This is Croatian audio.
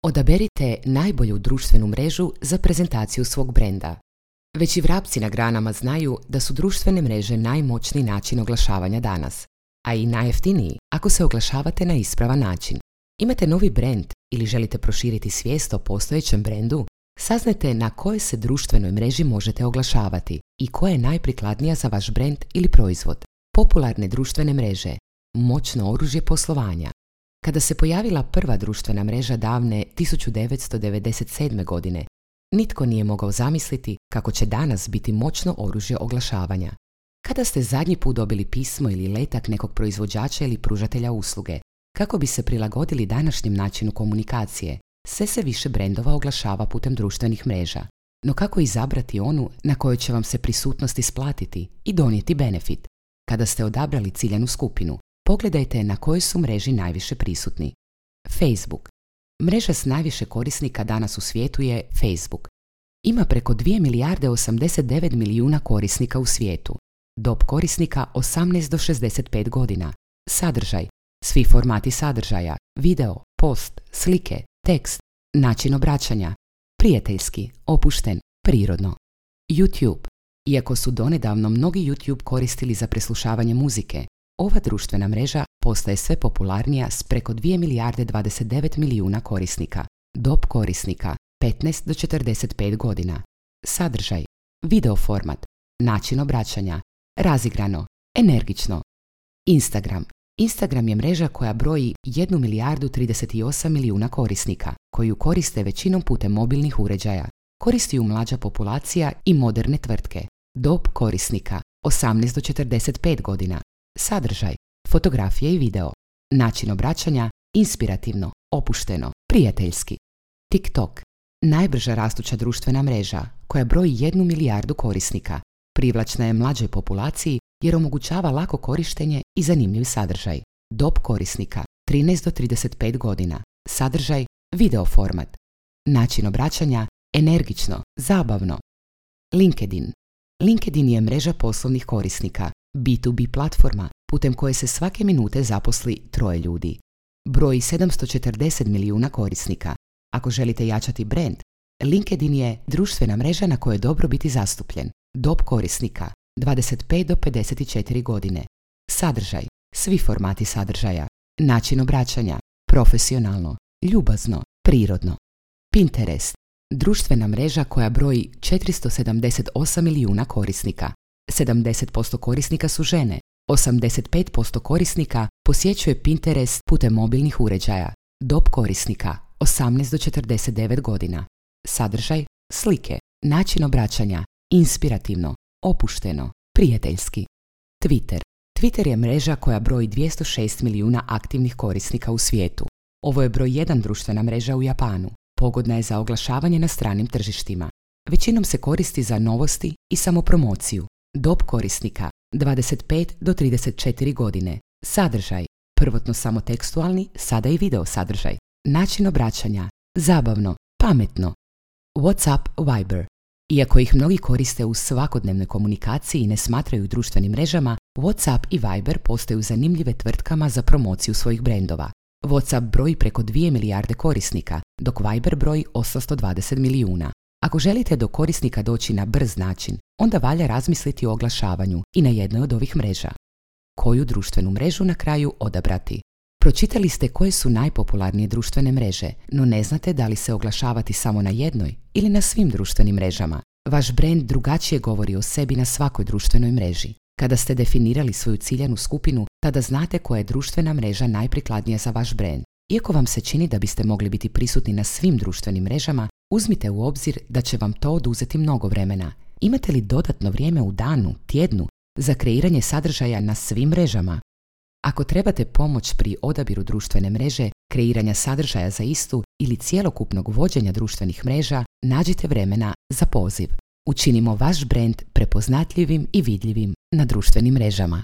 Odaberite najbolju društvenu mrežu za prezentaciju svog brenda. Već i vrapci na granama znaju da su društvene mreže najmoćniji način oglašavanja danas, a i najjeftiniji ako se oglašavate na ispravan način. Imate novi brend ili želite proširiti svijest o postojećem brendu? Saznajte na kojoj se društvenoj mreži možete oglašavati i koja je najprikladnija za vaš brend ili proizvod. Popularne društvene mreže, moćno oružje poslovanja. Kada se pojavila prva društvena mreža davne 1997. godine, nitko nije mogao zamisliti kako će danas biti moćno oružje oglašavanja. Kada ste zadnji put dobili pismo ili letak nekog proizvođača ili pružatelja usluge, kako bi se prilagodili današnjem načinu komunikacije, sve se više brendova oglašava putem društvenih mreža. No kako izabrati onu na kojoj će vam se prisutnost isplatiti i donijeti benefit? Kada ste odabrali ciljanu skupinu, pogledajte na kojoj su mreži najviše prisutni. Facebook. Mreža s najviše korisnika danas u svijetu je Facebook. Ima preko 2 milijarde 89 milijuna korisnika u svijetu. Dob korisnika 18 do 65 godina. Sadržaj. Svi formati sadržaja. Video, post, slike, tekst, način obraćanja. Prijateljski, opušten, prirodno. YouTube. Iako su donedavno mnogi YouTube koristili za preslušavanje muzike, ova društvena mreža postaje sve popularnija s preko 2 milijarde 29 milijuna korisnika. Dob korisnika 15 do 45 godina. Sadržaj. Video format. Način obraćanja. Razigrano. Energično. Instagram. Instagram je mreža koja broji 1 milijardu 38 milijuna korisnika, koju koriste većinom putem mobilnih uređaja. Koristi ju mlađa populacija i moderne tvrtke. Dob korisnika 18 do 45 godina. Sadržaj. Fotografije i video. Način obraćanja. Inspirativno, opušteno, prijateljski. TikTok. Najbrža rastuća društvena mreža koja broji 1 milijardu korisnika. Privlačna je mlađoj populaciji jer omogućava lako korištenje i zanimljiv sadržaj. Dob korisnika 13 do 35 godina. Sadržaj. Video format. Način obraćanja. Energično, zabavno. LinkedIn. LinkedIn je mreža poslovnih korisnika, B2B platforma putem koje se svake minute zaposli 3 ljudi. Broji 740 milijuna korisnika. Ako želite jačati brand, LinkedIn je društvena mreža na kojoj je dobro biti zastupljen. Dob korisnika 25 do 54 godine. Sadržaj. Svi formati sadržaja. Način obraćanja. Profesionalno, ljubazno, prirodno. Pinterest. Društvena mreža koja broji 478 milijuna korisnika. 70% korisnika su žene. 85% korisnika posjećuje Pinterest putem mobilnih uređaja. Dob korisnika 18 do 49 godina. Sadržaj. Slike. Način obraćanja. Inspirativno, opušteno, prijateljski. Twitter. Twitter je mreža koja broji 206 milijuna aktivnih korisnika u svijetu. Ovo je broj 1 društvena mreža u Japanu. Pogodna je za oglašavanje na stranim tržištima. Većinom se koristi za novosti i samopromociju. Dob korisnika 25 do 34 godine. Sadržaj. Prvotno samo tekstualni, sada i video sadržaj. Način obraćanja. Zabavno, pametno. WhatsApp, Viber. Iako ih mnogi koriste u svakodnevnoj komunikaciji i ne smatraju društvenim mrežama, WhatsApp i Viber postaju zanimljive tvrtkama za promociju svojih brendova. WhatsApp broji preko 2 milijarde korisnika, dok Viber broji 820 milijuna. Ako želite do korisnika doći na brz način, onda valja razmisliti o oglašavanju i na jednoj od ovih mreža. Koju društvenu mrežu na kraju odabrati? Pročitali ste koje su najpopularnije društvene mreže, no ne znate da li se oglašavati samo na jednoj ili na svim društvenim mrežama. Vaš brend drugačije govori o sebi na svakoj društvenoj mreži. Kada ste definirali svoju ciljanu skupinu, tada znate koja je društvena mreža najprikladnija za vaš brend. Iako vam se čini da biste mogli biti prisutni na svim društvenim mrežama, uzmite u obzir da će vam to oduzeti mnogo vremena. Imate li dodatno vrijeme u danu, tjednu, za kreiranje sadržaja na svim mrežama? Ako trebate pomoć pri odabiru društvene mreže, kreiranja sadržaja za istu ili cjelokupnog vođenja društvenih mreža, nađite vremena za poziv. Učinimo vaš brend prepoznatljivim i vidljivim na društvenim mrežama.